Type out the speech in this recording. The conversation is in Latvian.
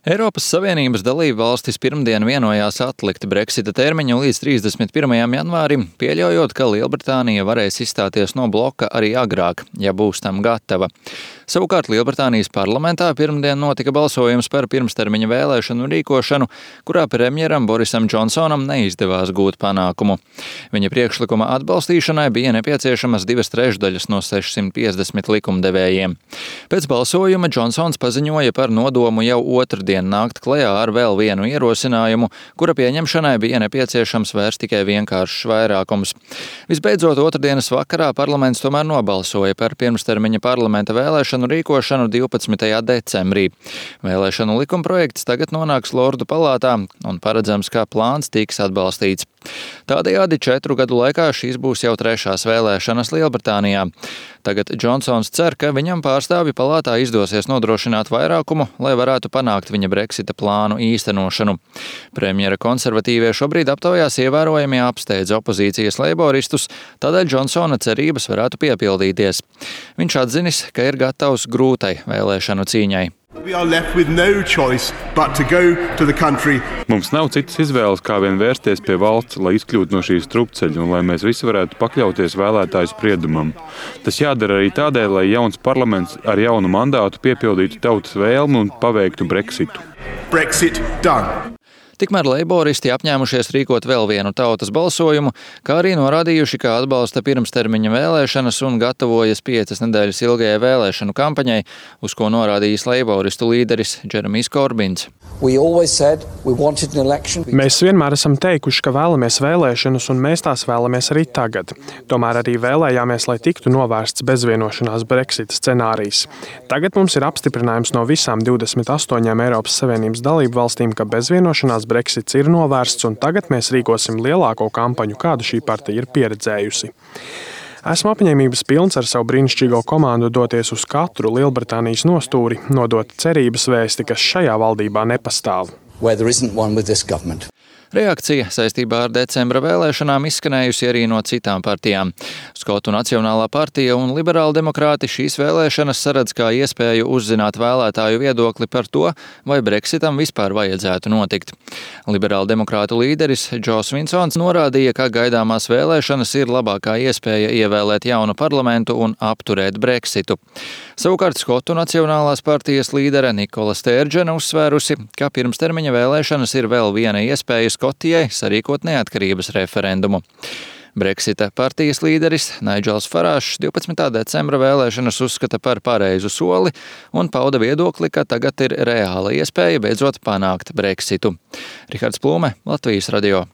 Eiropas Savienības dalību valstis pirmdien vienojās atlikt Brexita termiņu līdz 31. janvārim, pieļaujot, ka Lielbritānija varēs izstāties no bloka arī agrāk, ja būs tam gatava. Savukārt Lielbritānijas parlamentā pirmdien notika balsojums par pirmstermiņa vēlēšanu rīkošanu, kurā premjeram Borisam Džonsonam neizdevās gūt panākumu. Viņa priekšlikuma atbalstīšanai bija nepieciešamas 2/3 no 650 likumdevējiem. Pēc balsojuma Džonsons paziņoja par nodomu jau otrdien nākt klajā ar vēl vienu ierosinājumu, kura pieņemšanai bija nepieciešams vairs tikai vienkāršs vairākums. Visbeidzot, otrdienas vakarā parlaments tomēr nobalsoja par pirmstermiņa parlamenta vēlēšanu rīkošanu 12. decembrī. Vēlēšanu likumprojekts tagad nonāks Lordu palātā un paredzams, ka plāns tiks atbalstīts. Tādējādi 4 gadu laikā šīs būs jau 3. vēlēšanas Lielbritānijā. Tagad Džonsons cer, ka viņam pārstāvju palātā izdosies nodrošināt vairākumu, lai varētu panākt viņa Brexita plānu īstenošanu. Premjera konservatīvie šobrīd aptaujās ievērojami apsteidz opozīcijas leiboristus, tādēļ Džonsona cerības varētu piepildīties. Viņš atzinis, ka ir gatavs grūtai vēlēšanu cīņai. Mums nav citas izvēles, kā vien vērsties pie valsts, lai izkļūtu no šīs strupceļa un lai mēs visi varētu pakļauties vēlētāju spriedumam. Tas jādara arī tādēļ, lai jauns parlaments ar jaunu mandātu piepildītu tautas vēlmu un paveiktu Brexitu. Brexit done. Tikmēr leiboristi apņēmušies rīkot vēl vienu tautas balsojumu, kā arī norādījuši, ka atbalsta pirmstermiņa vēlēšanas un gatavojas 5 nedēļas ilgajai vēlēšanu kampaņai, uz ko norādījis leiboristu līderis Džeremijs Korbins. Mēs vienmēr esam teikuši, ka vēlamies vēlēšanas, un mēs tās vēlamies arī tagad. Tomēr arī vēlējāmies, lai tiktu novērsts bezvienošanās Brexita scenārijs. Tagad mums ir apstiprinājums no visām 28 Eiropas Savienības dalību valstīm, ka bezvienošanās Brexits ir novērsts, un tagad mēs rīkosim lielāko kampaņu, kādu šī partija ir pieredzējusi. Esmu apņēmības pilns ar savu brīnišķīgo komandu doties uz katru Lielbritānijas nostūri, nodot cerības vēsti, kas šajā valdībā nepastāv. Reakcija saistībā ar decembra vēlēšanām izskanējusi arī no citām partijām. Skotu Nacionālā partija un liberāli demokrāti šīs vēlēšanas saredz kā iespēju uzzināt vēlētāju viedokli par to, vai Brexitam vispār vajadzētu notikt. Liberāli demokrātu līderis Džos Vinsons norādīja, ka gaidāmās vēlēšanas ir labākā iespēja ievēlēt jaunu parlamentu un apturēt Brexitu. Savukārt Skotu Nacionālās partijas līdere Nikola Stērdžena uzsvērusi, ka pirmstermiņa vēlēšanas ir vēl viena iespēja Skotijai sarīkot neatkarības referendumu. Brexita partijas līderis Naidžels Farāžs 12. decembra vēlēšanas uzskata par pareizu soli un pauda viedokli, ka tagad ir reāla iespēja beidzot panākt Brexitu. Rihards Plūme, Latvijas radio.